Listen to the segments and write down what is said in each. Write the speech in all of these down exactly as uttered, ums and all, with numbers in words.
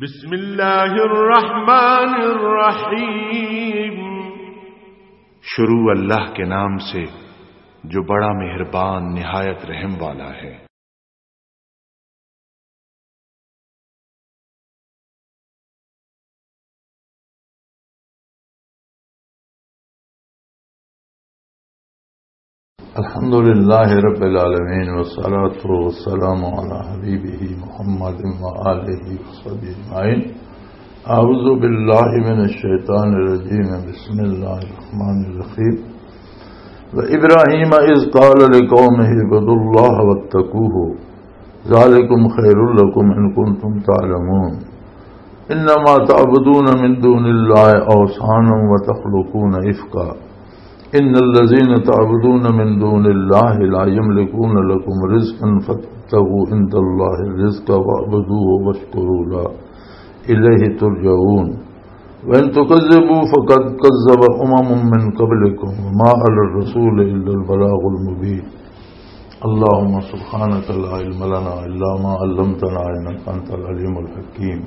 بسم اللہ الرحمن الرحیم۔ شروع اللہ کے نام سے، جو بڑا مہربان، نہایت رحم والا ہے۔ الحمد لله رب العالمين، والصلاة والسلام على حبيبه محمد وآله وصحبه أجمعين. أعوذ بالله من الشيطان الرجيم. بسم الله الرحمن الرحيم. وإبراهيم إذ قال لقومه اعبدوا الله واتقوه، ذلكم خير لكم إن كنتم تعلمون. إنما تعبدون من دون الله أوثانا وتخلقون إفكا. إن الذين تعبدون من دون الله لا يملكون لكم رزقا فابتغوا عند الله الرزق واعبدوه واشكروا له إليه ترجعون. وإن تكذبوا فقد كذب أمم من قبلكم وما على الرسول إلا البلاغ المبين. اللهم سبحانك لا علم لنا إلا ما علمتنا إنك أنت العليم الحكيم.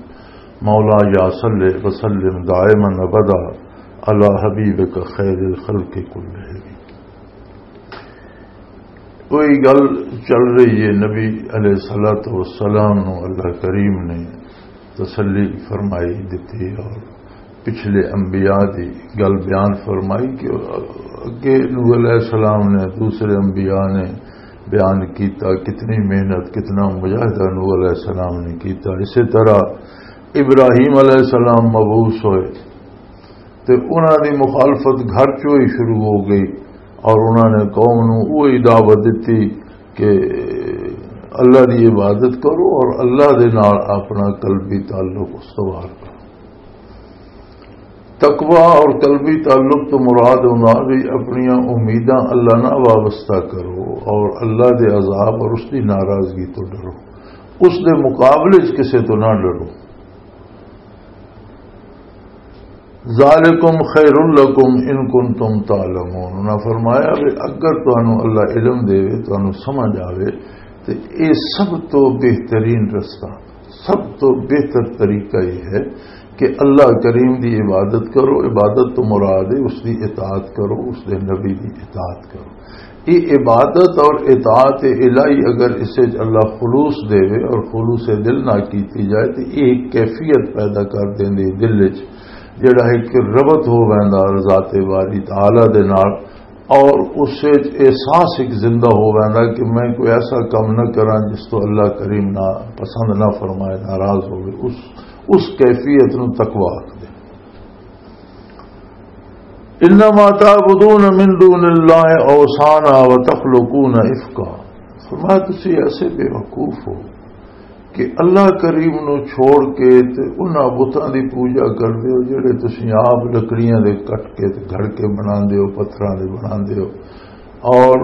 مولاي صل وسلم دائما أبدا على حبيبك خير الخلق كلهم. کوئی گل چل رہی ہے، نبی علیہ الصلوۃ والسلام نو اللہ کریم نے تسلی فرمائی دتی اور پچھلے انبیاء دی گل بیان فرمائی کہ اگے نوح علیہ السلام نے، دوسرے انبیاء نے بیان کیتا، کتنی محنت، کتنا مجاہدہ نوح علیہ السلام نے کیتا۔ اسی طرح ابراہیم علیہ السلام مبعوث ہوئے تے انہاں دی مخالفت گھر چوں ہی شروع ہو گئی اور انہاں نے قوم نوں وہی دعوت دتی کہ اللہ دی عبادت کرو اور اللہ دے نال اپنا قلبی تعلق استوار کرو۔ تقوی اور قلبی تعلق تو مراد ہوندا بھی اپنیاں امیداں اللہ نال وابستہ کرو اور اللہ دے عذاب اور اس دی ناراضگی تو ڈرو، اس دے مقابلے وچ کسے تو نہ ڈرو۔ ذالکم خیر لکم ان کنتم تعلمون۔ انہاں فرمایا بھی اگر تانوں اللہ علم دے، تانوں سمجھ آوے، تے اے سب تو بہترین رستہ، سب تو بہتر طریقہ یہ ہے کہ اللہ کریم دی عبادت کرو۔ عبادت تو مراد ہے اس دی اطاعت کرو، اس دے نبی دی اطاعت کرو۔ یہ عبادت اور اطاعت الہی اگر اس وچ اللہ خلوص دے اور خلوص دل نہ کیتی جائے تو یہ ایک کیفیت پیدا کر دیندی دل وچ، جڑا ایک ربط ہو ویندا ذات باری تعالی دے نال، اور اس وچ احساس ایک زندہ ہو ویندا کہ میں کوئی ایسا کم نہ کراں جس تو اللہ کریم نہ پسند نہ فرمائے، ناراض ہوئے، اس، اس کیفیت نو تقوی آکھدے۔ انما تعبدون من دون اللہ اوثانا وتخلقون افکا۔ فرمایا، تسی ایسے بے وقوف ہو کہ اللہ کریم نو چھوڑ کے تے انہاں بتاں دی پوجا کردے ہو جڑے تسی آپ لکڑیاں دے کٹ کے تے گھڑ کے بناندے ہو، پتھراں دے بناندے ہو، اور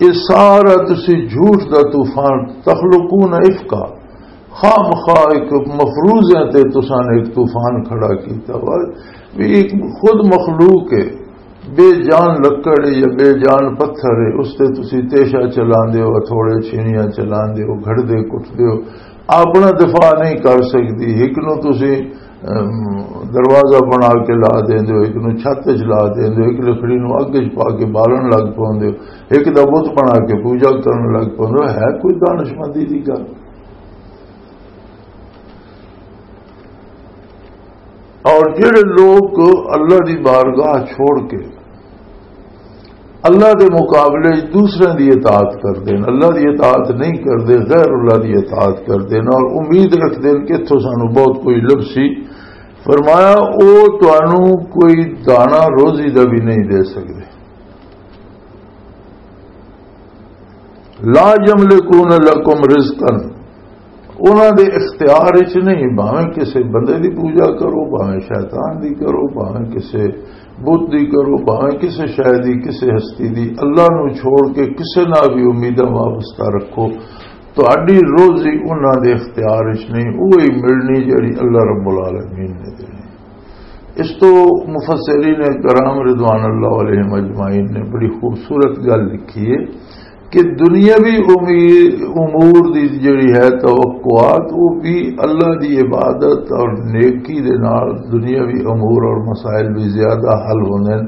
یہ سارا تسی جھوٹ دا طوفان، تخلقون افکا، خام خواہ ایک مفروضیاں تے تساں نے ایک طوفان کھڑا کیتا وا، بھی ایک خود مخلوق ہے، بے جان لکڑ ہے یا بے جان پتھر ہے، اس تے تسی تیشا چلاندے ہو، ہتھوڑے چھینیاں چلاندے ہو، گھڑدے کٹدے ہو، اپنا دفاع نہیں کر سکدی۔ ایک نو تسی، ام، دروازہ بنا کے لا دیندے ہو، ایک نو چھت وچ لا دیندے ہو، ایک لکڑی نو اگ وچ پا کے بالن لگ پوندے ہو، ایک دا بت بنا کے پوجا کرن لگ پوندے ہو۔ ہے کوئی دانشمندی دی گل؟ اور جڑے لوگ اللہ دی بارگاہ چھوڑ کے اللہ دے مقابلے وچ دوسرے دی اطاعت کردے ہیں، اللہ دی اطاعت نہیں کردے، غیر اللہ دی اطاعت کردے ہیں اور امید رکھدے ہیں کہ اتھوں سانو بہت کوئی لبسی، فرمایا، او تانوں کوئی دانا روزی دا بھی نہیں دے سکدے۔ لا یملکون لکم رزقا، انہاں دے اختیار وچ نہیں، بھاویں کسے بندے دی پوجا کرو، بھاویں شیطان دی کرو، بھاویں کسے بت دی کرو، بھاویں کسے شے دی، کسے ہستی دی، اللہ نو چھوڑ کے کسے نال بھی امیداں وابستہ رکھو، تہاڈی روزی انہاں دے اختیار وچ نہیں، وہی ملنی جڑی اللہ رب العالمین نے دینی۔ اس تو مفسرین کرام رضوان اللہ علیہم اجمعین نے بڑی خوبصورت گل لکھی ہے، کہ دنیاوی امیر-، امور دی جڑی ہے توقعات، وہ بھی اللہ دی عبادت اور نیکی دے نال دنیاوی امور اور مسائل بھی زیادہ حل ہوندے ہیں،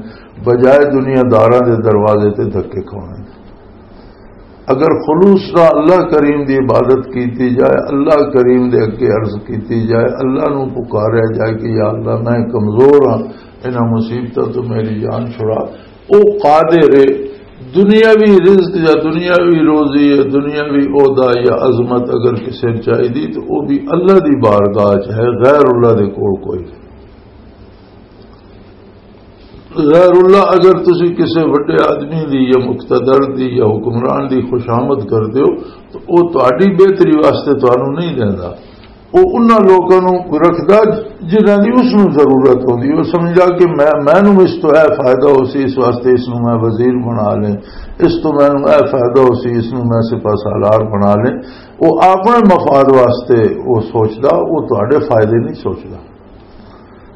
بجائے دنیا داراں دے دروازے تے دھکے کھانے۔ اگر خلوص نال اللہ کریم دی عبادت کیتی جائے، اللہ کریم دے اگے عرض کیتی جائے، اللہ نو پکاریا جائے کہ یا اللہ، میں کمزور ہاں، انہاں مصیبتاں تو میری جان چھڑا، او قادر ہے۔ دنیاوی رزق یا دنیاوی روزی یا دنیاوی عہدہ یا عظمت اگر کسے نوں چاہیدی تو او بھی اللہ دی بارگاہ چ ہے، غیر اللہ دے کول کوئی نہیں۔ غیر اللہ اگر تسی کسے وڈے آدمی دی یا مقتدر دی یا حکمران دی خوشامد کر دیو تو او تہاڈی بہتری واسطے تانوں نہیں دیندا۔ وہ انہاں لوکاں نوں رکھدا جنہاں دی اس نوں ضرورت ہوندی۔ وہ سمجھدا کہ میں، مینوں اس تو اے فائدہ ہو سی، اس واسطے اس نوں میں وزیر بنا لیں، اس تو مینوں اے فائدہ ہو سی، اس نوں میں سپاہ سالار بنا لیں۔ وہ اپنے مفاد واسطے وہ سوچدا، وہ تہاڈے فائدے نہیں سوچدا۔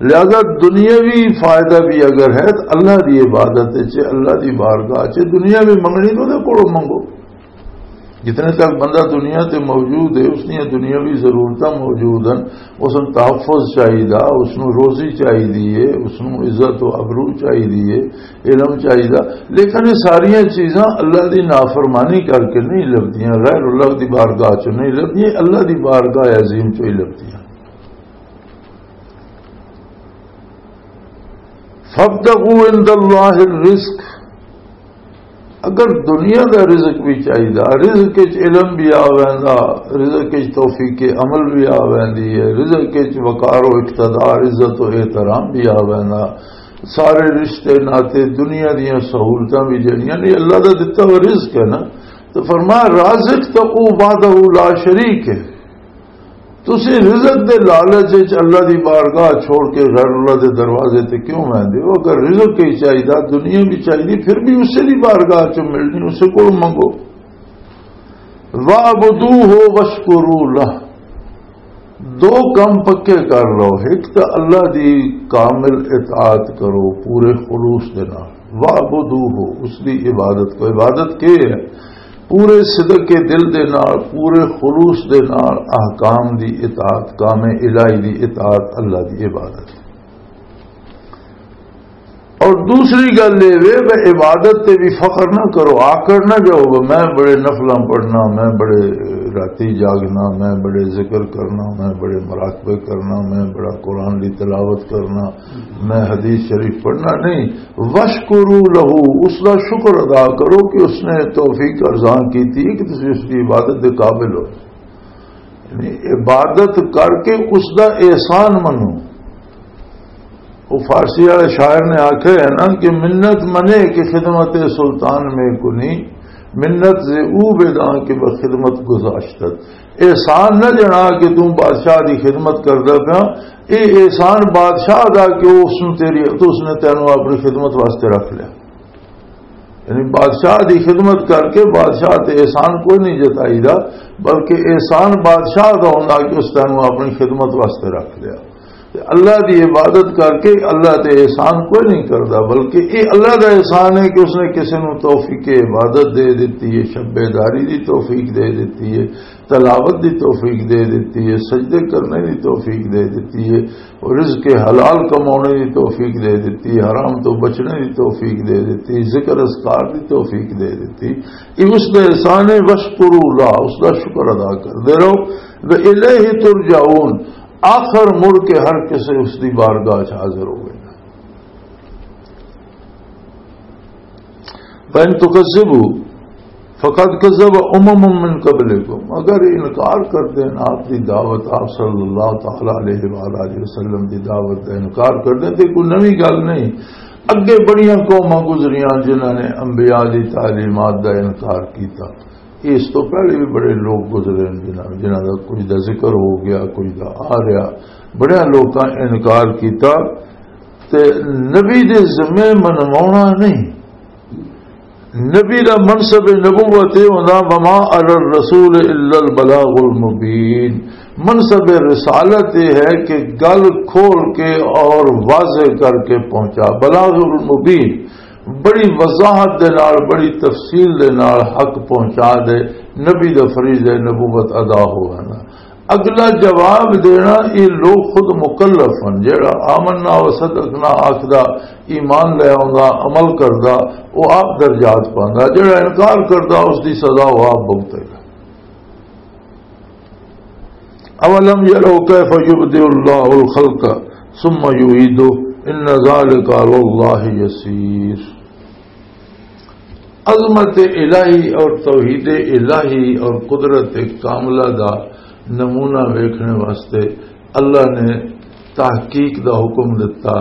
لہذا دنیاوی فائدہ بھی اگر ہے تو اللہ دی عبادت چ، اللہ دی بارگاہ چ، دنیا بھی منگنی تو دے کولوں منگو۔ جتنے تک بندہ دنیا تے موجود ہے، اس دیاں دنیاوی ضرورتاں موجود ہیں۔ اس نوں تحفظ چاہیدا، اس نوں روزی چاہیدی ہے، اس نوں عزت و ابرو چاہیدی ہے، علم چاہیدا۔ لیکن یہ ساریاں چیزاں اللہ دی نافرمانی کر کے نہیں لبدیاں، غیر اللہ دی بارگاہ چوں نہیں لبدیاں، اللہ دی بارگاہ عظیم چوں ہی لبدیاں۔ فابتغوا عند اللہ الرزق، اگر دنیا دا رزق بھی چاہیدا، رزق وچ علم بھی آ ویندا، رزق وچ توفیق عمل بھی آ ویندی ہے، رزق وچ وقار و اقتدار، عزت و احترام بھی آ ویندا، سارے رشتے ناتے، دنیا دیاں سہولتاں بھی جڑیاں نے اللہ دا دتا ہوا رزق ہے نا۔ تو فرمایا، رازق تو او وحدہ لا شریک ہے۔ تسی رزق دے لالچ وچ اللہ دی بارگاہ چھوڑ کے غیر اللہ دے دروازے تے کیوں ویندے ہو؟ اگر رزق ہی چاہیدا، دنیا بھی چاہیدی، پھر بھی اسے دی بارگاہ چوں ملنی، اسے کول منگو۔ وَاعْبُدُوهُ وَاشْكُرُوا لَهُ۔ دو کم پکے کر لو، ایک تو اللہ دی کامل اطاعت کرو پورے خلوص دے نال، وَاعْبُدُوهُ، اس دی عبادت کو۔ عبادت کے ہے؟ پورے صدق کے دل دے نال، پورے خلوص دے نال احکام دی اطاعت، کام الہی دی اطاعت، اللہ دی عبادت۔ اور دوسری گل یہ وے، میں عبادت تے بھی فخر نہ کرو، آکڑ نہ جاؤ، میں بڑے نفلاں پڑھنا، میں بڑے راتی جاگنا، میں بڑے ذکر کرنا، میں بڑے مراقبے کرنا، میں بڑا قرآن دی تلاوت کرنا، میں حدیث شریف پڑھنا نہیں۔ وَاشْكُرُوا لَهُ، اس دا شکر ادا کرو کہ اس نے توفیق ارزان کی تھی کہ تسی اس کی عبادت دے قابل ہو۔ یعنی عبادت کر کے اس دا احسان منو۔ وہ فارسی والے شاعر نے آکھیا ہے نا کہ منت منے کہ خدمت سلطان میں کنی، منت ز او بداں کہ بہ خدمت گذاشتت۔ احسان نہ جنا کہ تم بادشاہ دی خدمت کردا پیا، اے احسان بادشاہ دا کہ اس نے تیری، تو اس نے تینوں اپنی خدمت واسطے رکھ لیا۔ یعنی بادشاہ دی خدمت کر کے بادشاہ تے احسان کوئی نہیں جتائی دا، بلکہ احسان بادشاہ دا ہوندا کہ اس تینوں اپنی خدمت واسطے رکھ لیا۔ تے اللہ دی عبادت کر کے اللہ تے احسان کوئی نہیں کردا، بلکہ یہ اللہ دا احسان ہے کہ اس نے کسی نوں توفیق عبادت دے دتی ہے، شب بیداری دی توفیق دے دتی ہے، تلاوت دی توفیق دے دتی ہے، سجدے کرنے دی توفیق دے دتی ہے، اور رزق حلال کمانے دی توفیق دے دتی، حرام تو بچنے دی توفیق دے دتی، ذکر اذکار دی توفیق دے دتی۔ یہ اس دا احسان ہے، وَاشْكُرُوا لَهُ، اس دا شکر ادا کردے رہو۔ وَإِلَيْهِ تُرْجَعُونَ، آخر مڑ کے ہر کسے اس دی بارگاہ چ حاضر ہوئے۔ فَإِن تُكَذِّبُوا فَقَدْ كَذَّبَ أُمَمٌ مِّن قَبْلِكُمْ، اگر انکار کر دین آپ دی دعوت، آپ صلی اللہ تعالی علیہ وآلہ وسلم دی دعوت دا انکار کر دین تے کوئی نوی گل نہیں۔ اگے بڑیاں قوماں گزریاں جنہاں نے انبیاء دی تعلیمات دا انکار کیتا۔ اس تو پہلے بھی بڑے لوگ گزرے ہیں جنہاں، جنہاں دا کچھ دا ذکر ہو گیا، کچھ دا آ رہا۔ بڑے لوکاں انکار کیتا۔ تے نبی دے ذمے منوانا نہیں۔ نبی دا منصب نبوت یہ ہوندا، وما علی الرسول الا البلاغ المبین۔ منصب رسالت یہ ہے کہ گل کھول کے اور واضح کر کے پہنچا، بلاغ المبین۔ بڑی وضاحت دے نال، بڑی تفصیل دے نال حق پہنچا دے، نبی دا فریضہ نبوت ادا ہو وینا۔ اگلا جواب دینا، یہ لوگ خود مکلف ہن۔ جڑا آمنا و صدقنا آکھدا، ایمان لے آوندا، عمل کردا، وہ آپ درجات پاندا۔ جڑا انکار کردا، اس دی سزا وہ آپ بھگتے گا۔ اولم یروا کیف یبدئ اللہ الخلق ثم یعیدہ ان ذلک علی اللہ یسیر۔ عظمت الہی اور توحید الہی اور قدرت کاملہ دا نمونہ ویکھنے واسطے اللہ نے تحقیق دا حکم دتا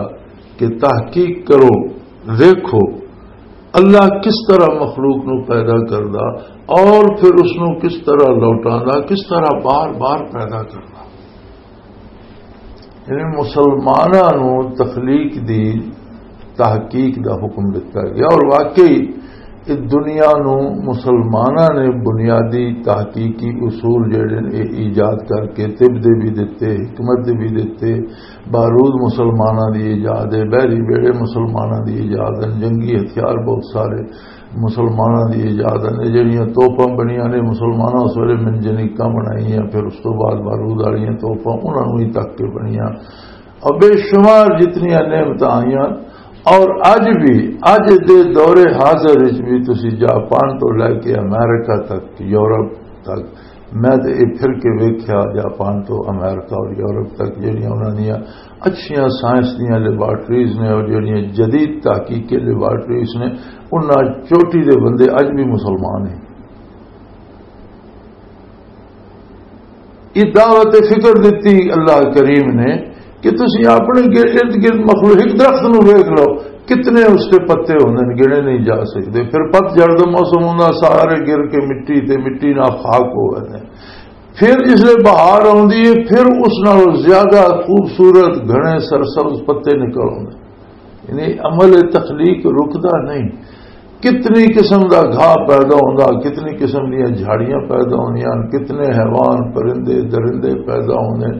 کہ تحقیق کرو، ویکھو اللہ کس طرح مخلوق نو پیدا کردا اور پھر اس نو کس طرح لوٹاندا، کس طرح بار بار پیدا کردا۔ یعنی مسلماناں نو تخلیق دی تحقیق دا حکم دتا گیا، اور واقعی اس دنیا نو مسلماناں نے بنیادی تحقیقی اصول جڑے نے، اے ایجاد کر کے طب دے بھی دتے، حکمت دے بھی دتے۔ بارود مسلماناں دی ایجاد ہے، بحری بیڑے مسلماناں دی ایجاد ہیں، جنگی ہتھیار بہت سارے مسلماناں دی ایجاد ہیں۔ جڑیاں توپاں بنیاں نے مسلماناں اس ویلے منجنیقاں بنائیاں، پھر اس تو بعد بارود والیاں توپاں انہاں نوں ہی تک کے بنیاں۔ اور بے شمار جتنیاں نعمتاں آئیاں، اور اج بھی، اج دے دور حاضر وچ بھی تسی جاپان تو لے کے امریکہ تک، یورپ تک، میں تے یہ پھر کے ویکھیا، جاپان تو امریکہ اور یورپ تک جڑیاں انہاں دیاں اچھیاں سائنس دیاں لیبارٹریز نے اور جڑیاں جدید تحقیقی لیبارٹریز نے، انہاں چوٹی دے بندے اج بھی مسلمان ہیں۔ یہ دعوت فکر دیتی اللہ کریم نے کہ تسی اپنے گر-، ارد گرد مخلوق، ایک درخت نو ویکھ لو، کتنے اس کے پتے ہوندے نے، گنے نہیں جا سکتے۔ پھر پت جھڑ دا موسم ہوندا، سارے گر کے مٹی تے مٹی نال خاک ہو گئے۔ پھر جس لے بہار آندی ہے، پھر اس نال زیادہ خوبصورت گھنے سرسبز پتے نکل آندے۔ یعنی عمل تخلیق رکدا نہیں۔ کتنی قسم دا گھاہ پیدا ہوندا، کتنی قسم دیاں جھاڑیاں پیدا ہوندیاں، کتنے حیوان، پرندے، درندے پیدا ہوندے،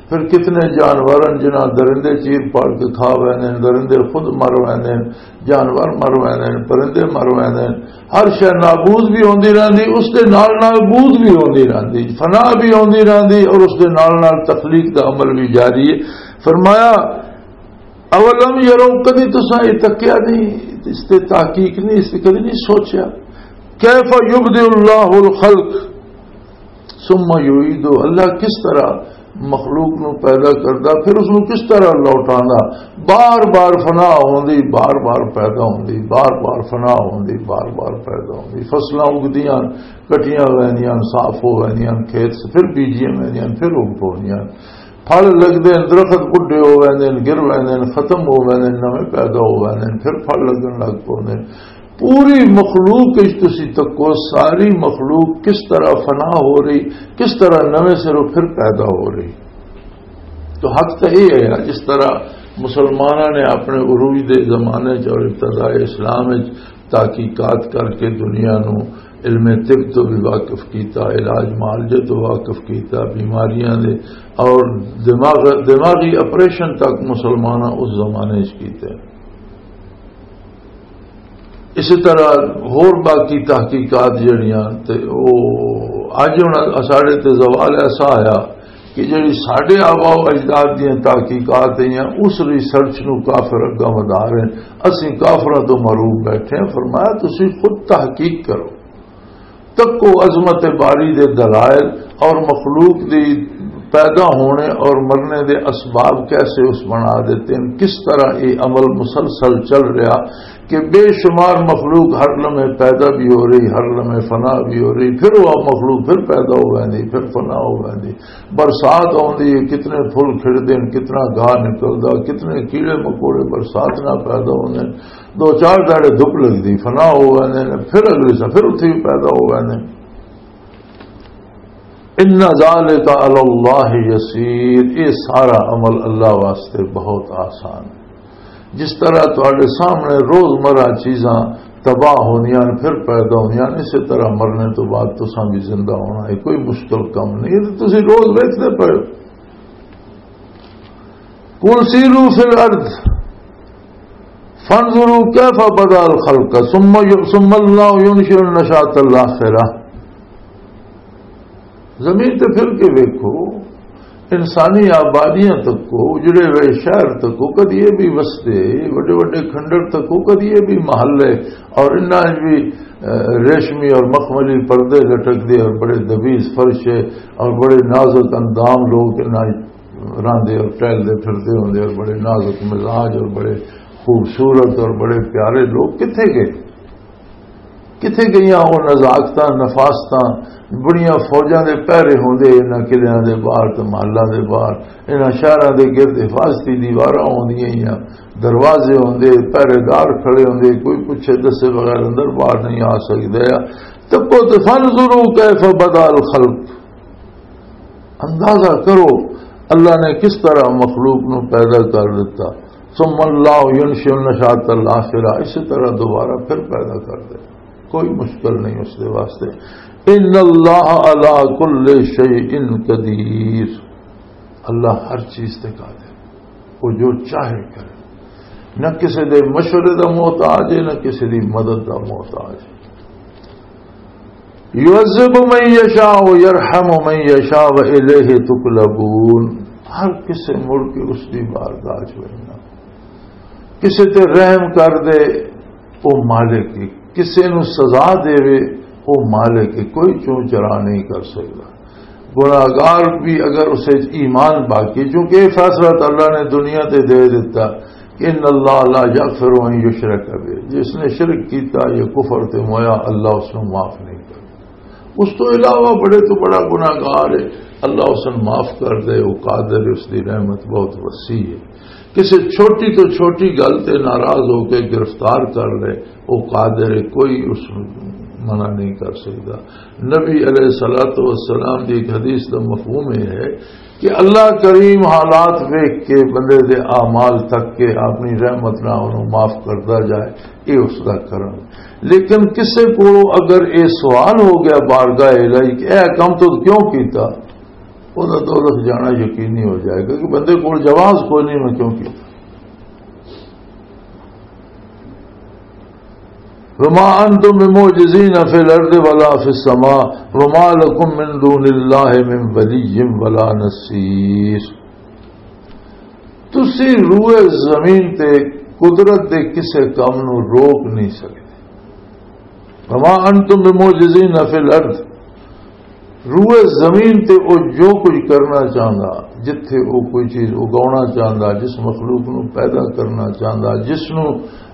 پھر کتنے جانور ہیں جنہاں درندے چیر پاڑ کے کھا ویندے نے، درندے خود مر ویندے نے، جانور مر ویندے نے، پرندے مر ویندے نے۔ ہر شے نابود بھی ہوندی رہندی، اس دے نال نال بود بھی ہوندی رہندی، فنا بھی ہوندی رہندی، اور اس دے نال نال تخلیق دا عمل بھی جاری ہے۔ فرمایا، اولم یرو، کدی تساں یہ تکیا نہیں، اس تے تحقیق نہیں، اس تے کدی نہیں سوچیا؟ کیف یبدئ اللہ الخلق ثم یعیدہ، اللہ کس طرح مخلوق نو پیدا کردا، پھر اس نو کس طرح لوٹاندا؟ بار بار فنا ہوندی، بار بار پیدا ہوندی، بار بار فنا ہوندی، بار بار پیدا ہوندی۔ فصلاں اگدیاں، کٹیاں ویندیاں، صاف ہو ویندیاں، کھیت پھر بیجیاں ویندیاں، پھر اگ پوندیاں۔ پھل لگدے نے، درخت بڈھے ہو ویندے نے، گر ویندے نے، ختم ہو ویندے نے، نویں پیدا ہو ویندے نے، پھر پھل لگن لگ پوندے نے۔ پوری مخلوق وچ تسی تکو، ساری مخلوق کس طرح فنا ہو رہی، کس طرح نویں سروں پھر پیدا ہو رہی۔ تو حق تو یہ ہے نا، جس طرح مسلمانوں نے اپنے عروج دے زمانے چ اور ابتدائے اسلام وچ تحقیقات کر کے دنیا نو علم طب تو بھی واقف کیتا، علاج معالجے تو واقف کیتا، بیماریاں دے اور دماغ، دماغی آپریشن تک مسلماناں اس زمانے چ کیتے۔ اسی طرح ہور باقی تحقیقات جڑیاں تے او اج ہن ساڈے تے زوال ایسا آیا کہ جڑی ساڈے آبا و اجداد دیاں تحقیقات ہیں، اس ریسرچ نو کافر اگاں ودھا رہے ہیں۔ اسی کافراں تو محروم بیٹھے ہیں۔ فرمایا، تسی خود تحقیق کرو، تکو عظمت باری دے دلائل اور مخلوق دی پیدا ہونے اور مرنے دے اسباب کیسے اس بنا دیتے ہیں، کس طرح یہ عمل مسلسل چل رہا کہ بے شمار مخلوق ہر لمحے پیدا بھی ہو رہی، ہر لمحے فنا بھی ہو رہی، پھر وہ مخلوق پھر پیدا ہو ویندی، پھر فنا ہو ویندی۔ برسات آندی ہے، کتنے پھل کھڑدے ہیں، کتنا گاہ نکلدا، کتنے کیڑے مکوڑے برسات نال پیدا ہوندے ہیں۔ دو چار دہاڑے دھپ لگدی، فنا ہو ویندے نے، پھر اگلے سال پھر اتھے ہی پیدا ہو ویندے نے۔ ان ذالک علی اللہ یسیر، یہ سارا عمل اللہ واسطے بہت آسان ہے۔ جس طرح تواڈے سامنے روزمرہ چیزاں تباہ ہوندیاں نے، پھر پیدا ہوندیاں نے، اسی طرح مرنے تو بعد تساں بھی زندہ ہونا ہے، کوئی مشکل کم نہیں۔ یہ تو تسی روز ویکھدے پئے ہو۔ قل سیروا فی الارض فانظروا كيف بدأ الخلق ثم ي-، ثم الله ينشئ النشأة الآخرة۔ زمین تے پھر کے ویکھو، انسانی آبادیاں تک کو، اجڑے ہوئے شہر تک کو، کدی یہ بھی وستے، وڈے وڈے کھنڈر تک کو، کدی یہ بھی محلے، اور انہاں وچ بھی، اہ، ریشمی اور مخملی پردے لٹک دے اور بڑے دبیز فرش ہے اور بڑے نازک اندام لوگ انہاں وچ راندے اور ٹہلدے پھردے ہوندے اور بڑے نازک مزاج اور بڑے خوبصورت اور بڑے پیارے لوگ کتھے گئے؟ کتھے گئیاں وہ نزاکتاں، نفاستاں؟ بڑیاں فوجاں دے پہرے ہوندے انہاں قلعیاں دے باہر تے محلاں دے باہر، انہاں شہراں دے گرد حفاظتی دیواراں ہوندیاں ہیاں، دروازے ہوندے، پہرے دار کھڑے ہوندے، کوئی پوچھے دسے بغیر اندر باہر نہیں آ سکدا۔ تکو تے فانظروا کیف بدأ الخلق، اندازہ کرو اللہ نے کس طرح مخلوق نو پیدا کر دیتا۔ ثم اللہ ینشئ النشأۃ الآخرہ، اسی طرح دوبارہ پھر پیدا کر دے، کوئی مشکل نہیں اس دے واسطے۔ ان اللہ علی کل شیء قدیر، اللہ ہر چیز تے قادر، وہ جو چاہے کرے، نہ کسی دے مشورے دا محتاج ہے، نہ کسی دی مدد دا محتاج ہے۔ یعذب من یشاء و یرحم من یشاء و الیہ تقلبون۔ ہر کسے مڑ کے اس دی بارگاہ چ ورنا، کسے تے رحم کر دے، او مالک ہے، کسے نو سزا دے وے، او مالک ہے، کوئی چون چرا نہیں کر سکدا۔ گناہگار بھی اگر اسے ایمان باقی، چونکہ یہ فیصلہ تو اللہ نے دنیا تے دے دیتا کہ ان اللہ لا یغفر ان یشرک بہ، جس نے شرک کیتا یا کفر تے مویا، اللہ اس نو معاف نہیں کرتا۔ اس تو علاوہ بڑے تو بڑا گناہگار ہے، اللہ اس نو معاف کر دے، وہ قادر ہے، اس دی رحمت بہت وسیع ہے۔ کسی چھوٹی تو چھوٹی گل تے ناراض ہو کے گرفتار کر لے، وہ قادر ہے، کوئی اس نو منع نہیں کر سکتا۔ نبی علیہ الصلوۃ والسلام دی ایک حدیث دا مفہوم یہ ہے کہ اللہ کریم حالات ویکھ کے، بندے دے اعمال تک کے، اپنی رحمت نال انہوں معاف کردا جائے، یہ اس دا کرم۔ لیکن کسے کو اگر یہ سوال ہو گیا بارگاہ الہی کہ اے کم تو کیوں کیتا، وہ تو دوزخ جانا یقینی ہو جائے گا کہ بندے کو جواز کوئی نہیں، میں کیوں کیتا۔ وما انتم بمعجزین فی الارض ولا فی السماء وما لکم من دون اللہ من ولی ولا نصیر۔ تسی روئے زمین تے قدرت دے کسے کم نو روک نہیں سکدے۔ وما انتم بمعجزین فی الارض، روئے زمین تے او جو کچھ کرنا چاہندا، جتھے او کوئی چیز اگاونا چاہندا، جس مخلوق نو پیدا کرنا چاہندا، جس نو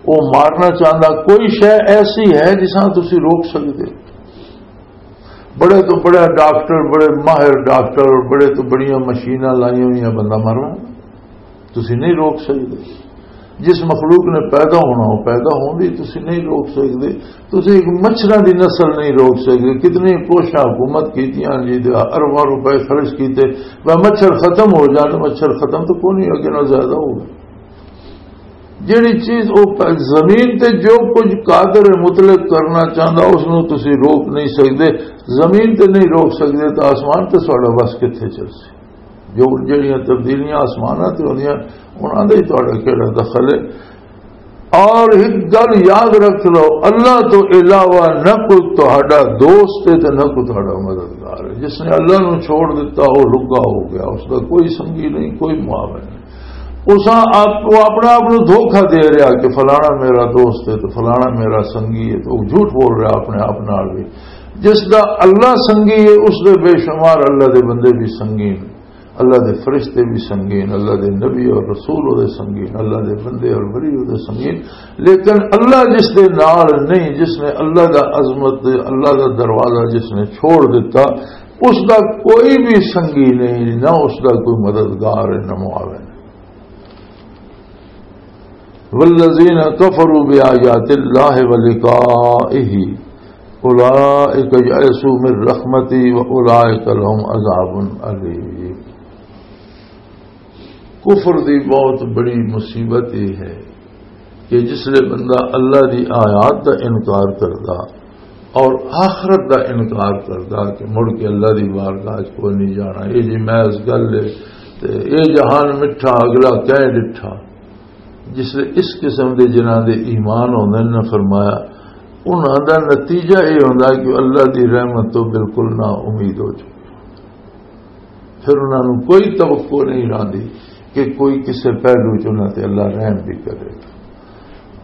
او مارنا چاہندا، کوئی شے ایسی ہے جس نال تسی روک سکدے؟ بڑے تو بڑا ڈاکٹر، بڑے ماہر ڈاکٹر اور بڑے تو بڑیاں مشیناں لائیاں ہوئیاں بندہ مارنا، تسی نہیں روک سکدے۔ جس مخلوق نے پیدا ہونا، وہ پیدا ہوندی، تسی نہیں روک سکدے۔ تسی ایک مچھراں دی نسل نہیں روک سکدے۔ کتنی کوششاں حکومت کیتیاں جی، تے ارباں روپے خرچ کیتے، وہ مچھر ختم ہو جان، مچھر ختم تو کوئی نہیں، اگے نال زیادہ ہو گئے۔ جیڑی چیز او پ-، زمین تے جو کچھ قادر مطلق کرنا چاہندا، اس نو تسی روک نہیں سکدے۔ زمین تے نہیں روک سکدے تو آسمان تے ساڈا بس کتھے چل سی؟ جو جڑیاں تبدیلیاں آسماناں تے ہوندیاں، انہاں دا ہی تہاڈا کیڑا دخل ہے؟ اور ایک گل یاد رکھ لو، اللہ تو علاوہ نہ کوئی تہاڈا دوست ہے تے نہ کوئی تہاڈا مددگار ہے۔ جس نے اللہ نو چھوڑ دتا، وہ لگا ہو گیا، اس دا کوئی سنگی نہیں، کوئی معاون نہیں۔ اساں آپ، وہ اپنا آپ نو دھوکا دے رہا کہ فلانا میرا دوست ہے تو فلانا میرا سنگی ہے، تو وہ جھوٹ بول رہا اپنے آپ نال بھی۔ جس دا اللہ سنگی ہے، اس دے بے شمار اللہ دے بندے بھی سنگی نے۔ اللہ دے فرشتے بھی سنگین، اللہ دے نبی اور رسول او دے سنگین، اللہ دے بندے اور ولی او دے سنگین۔ لیکن اللہ جس دے نال نہیں، جس نے اللہ دا عظمت، اللہ دا دروازہ جس نے چھوڑ دیتا، اس دا کوئی بھی سنگی نہیں، نہ اس دا کوئی مددگار ہے، نہ معاون۔ والذین کفروا بآیات اللہ ولقائہ اولئک یئسوا من رحمتی واولئک لهم عذاب الیم۔ کفر دی بہت بڑی مصیبت یہ ہے کہ جس لے بندہ اللہ دی آیات دا انکار کردا اور آخرت دا انکار کردا کہ مڑ کے اللہ دی بارگاہ چ کوئی نہیں جانا، یہ جی محض گل ہے، تے یہ جہان مٹھا، اگلا کہہ ڈٹھا۔ جس لئے اس قسم دے جنہاں دے ایمان ہوندے نے، فرمایا، انہاں دا نتیجہ یہ ہوندا کہ اللہ دی رحمت تو بالکل نا امید ہو چکے۔ پھر انہاں نوں کوئی توقع نہیں رہندی کہ کوئی کسے پہلو چ انہاں تے اللہ رحم بھی کرے۔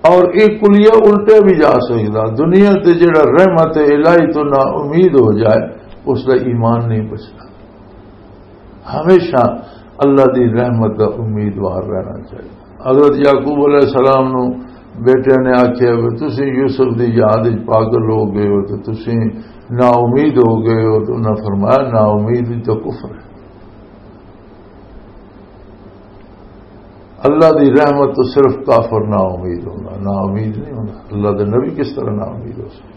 اور یہ کلیہ الٹے بھی جا سکدا، دنیا تے جڑا رحمت الہی تو نا امید ہو جائے، اس دا ایمان نہیں بچدا۔ ہمیشہ اللہ دی رحمت دا امیدوار رہنا چاہیے۔ حضرت یعقوب علیہ السلام نو بیٹے نے آکھیا، "وے تسی یوسف دی یاد وچ پاگل ہو گئے ہو، تے تسی نا امید ہو گئے ہو۔" تو انہاں فرمایا، "نا امید وی تو کفر ہے۔" اللہ دی رحمت تو صرف کافر نا امید ہوندا، نا امید نہیں ہوندا۔ اللہ دے نبی کس طرح نا امید ہو سکدا؟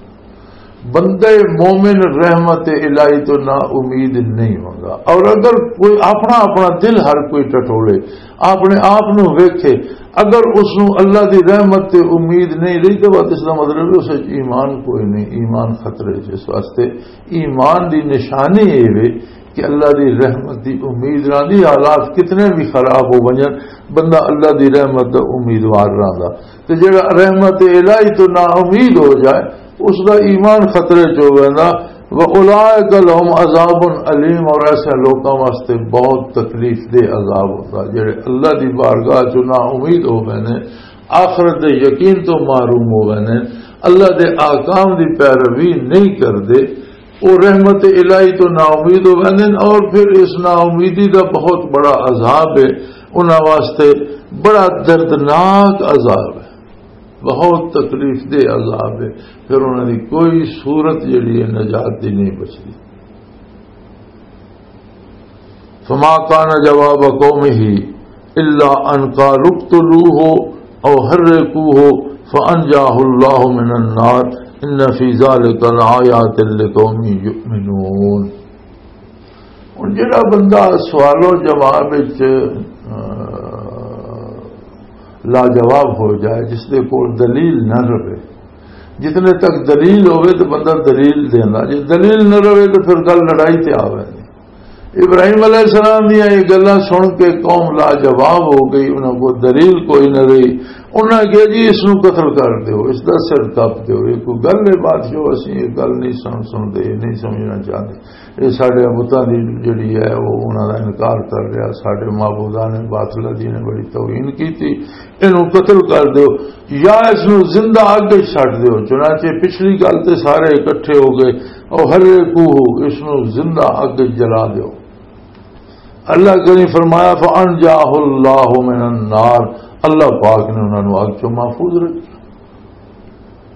بندہ مومن رحمت الہی تو نا امید نہیں ہوندا۔ اور اگر کوئی اپنا، اپنا دل ہر کوئی ٹٹولے، اپنے آپ نو ویکھے، اگر اس نو اللہ دی رحمت تے امید نہیں رہی، تو بس اس دا مطلب ہے اس وچ ایمان کوئی نہیں، ایمان خطرے چ۔ اس واسطے ایمان دی نشانی یہ وے کہ اللہ دی رحمت دی امید رہندی، حالات کتنے بھی خراب ہو ونجن، بندہ اللہ دی رحمت دا امیدوار رہندا۔ تے جڑا رحمت الہی تو نا امید ہو جائے، اس دا ایمان خطرے چ ہو ویندا۔ وَأُولَٰئِكَ لَهُمْ عَذَابٌ أَلِيمٌ، اور ایسے لوکاں واسطے بہت تکلیف دہ عذاب ہوتا، جڑے اللہ دی بارگاہ چ نا امید ہو ویندے، آخرت دے یقین تو محروم ہو ویندے، اللہ دے احکام دی پیروی نہیں کردے، وہ رحمت الہی تو نا امید ہو ویندے، اور پھر اس نا امیدی دا بہت بڑا عذاب ہے انہاں واسطے، بڑا دردناک عذاب ہے، بہت تکلیف دہ عذاب ہے۔ پھر انہاں دی کوئی صورت جڑی ہے نجات دی نہیں بچدی۔ فما كان جواب قومه إلا أن قالوا اقتلوه أو حرقوه فأنجاه الله من النار إن في ذلك لآيات لقوم يؤمنون۔ ہن جڑا بندہ سوال و جواب وچ، آ، لاجواب ہو جائے، جس دے کول دلیل نہ رہے، جتنے تک دلیل ہوے تو بندہ دلیل دینا، جے دلیل نہ رہے تو پھر گل لڑائی تے آ ویندی۔ ابراہیم علیہ السلام دیاں یہ گلاں سن کے قوم لاجواب ہو گئی، انہاں کو دلیل کوئی نہ رہی۔ انہاں کہا، "جی، اس نوں قتل کر دیو، اس دا سر کپ دیو، یہ کوئی گل ہے؟" بادشاہ، "اسی یہ گل نہیں سن سنتے، یہ نہیں سمجھنا چاہتے، یہ ساڈے بتاں دی جڑی ہے، وہ انہاں دا انکار کر رہا، ساڈے معبوداں نے باطلہ دی نے بڑی توہین کیتی، اینوں قتل کر دیو یا اس نوں زندہ اگ وچ سٹ دیو۔" چنانچہ پچھلی گل تے سارے اکٹھے ہو گئے، "او حرقوہ، اس نوں زندہ اگ وچ جلا دیو۔" اللہ کریم فرمایا، "فانجاہ اللہ من النار"، اللہ پاک نے انہاں نوں اگ چوں محفوظ رکھیا۔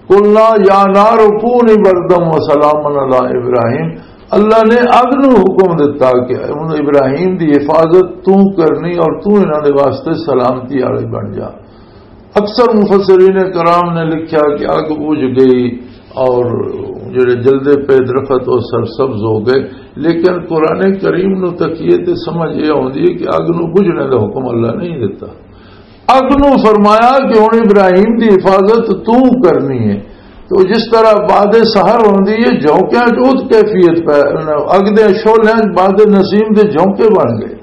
"قلنا یا نار کونی بردا و سلاما علی ابراہیم"، اللہ نے اگ نوں حکم دتا کہ انہوں ابراہیم دی حفاظت تو کرنی اور تو انہاں دے واسطے سلامتی والی بن جا۔ اکثر مفسرین کرام نے لکھا کہ اگ بجھ گئی اور جڑے جلدے پے درخت وہ سرسبز ہو گئے، لیکن قرآن کریم نو تکیے تے سمجھ یہ آتی ہے کہ اگ نو بجھنے کا حکم اللہ نہیں دیتا۔ اگ نو فرمایا کہ ہن ابراہیم دی حفاظت تو کرنی ہے۔ تو جس طرح باد سحر ہوندی ہے، جھونکیاں چ اوت کیفیت پہ، اگ دے شعلیاں چ باد نسیم دے جھونکے بن گئے۔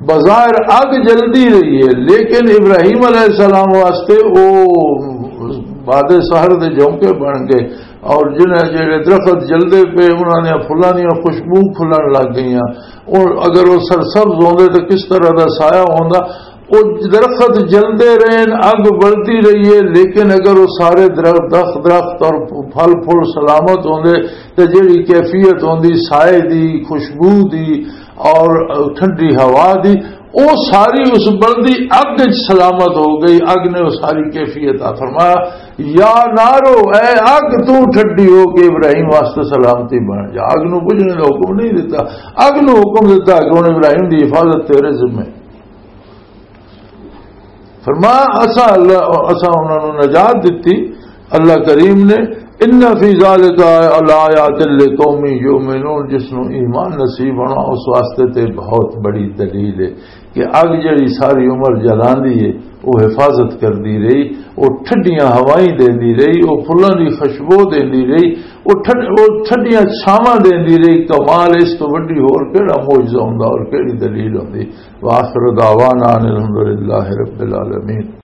بظاہر اگ جلدی رہی ہے، لیکن ابراہیم علیہ السلام واسطے وہ باد سحر دے جھونکے بن گئے، اور جنہیں جڑے درخت جلدے پے، انہاں نے پھلاں دیاں خوشبو کھلن لگ گئیاں۔ اور اگر وہ سرسبز ہوندے تو کس طرح دا سایہ ہوندا؟ وہ درخت جلدے رہے، اگ بلدی رہی ہے، لیکن اگر وہ سارے درخت، درخت، درخت اور پھل پھل سلامت ہوندے، تے جڑی کیفیت ہوندی سائے دی، خوشبو دی اور ٹھنڈی ہوا دی، او ساری اس بلدی اگ وچ سلامت ہو گئی۔ اگ نے او ساری کیفیت آ فرمایا، "یا نارو، اے اگ، تو ٹھڈی ہو کے ابراہیم واسطے سلامتی بن جا۔" اگ نو بجھنے دا حکم نہیں دیتا، اگ نو حکم دیتا کہ ہن ابراہیم دی حفاظت تیرے ذمے۔ فرمایا، اساں اللہ، اساں انہاں نوں نجات دتی، اللہ کریم نے، "ان فی ذالک لآیات لقوم یؤمنون"، جس نوں ایمان نصیب ہونا، اس واسطے تے بہت بڑی دلیل ہے کہ اگ جڑی ساری عمر جلاندی ہے، وہ حفاظت کردی رہی، وہ ٹھڈیاں ہوائیں دیندی رہی، وہ پھلاں دی خوشبو دیندی رہی، وہ ٹھڈ-، وہ ٹھڈیاں چھاواں دیندی رہی۔ کمال اس تو وڈی ہور کیڑا معجزہ ہوندا اور کیڑی دلیل ہوندی؟ وآخر دعوانا ان الحمد للہ رب العالمین۔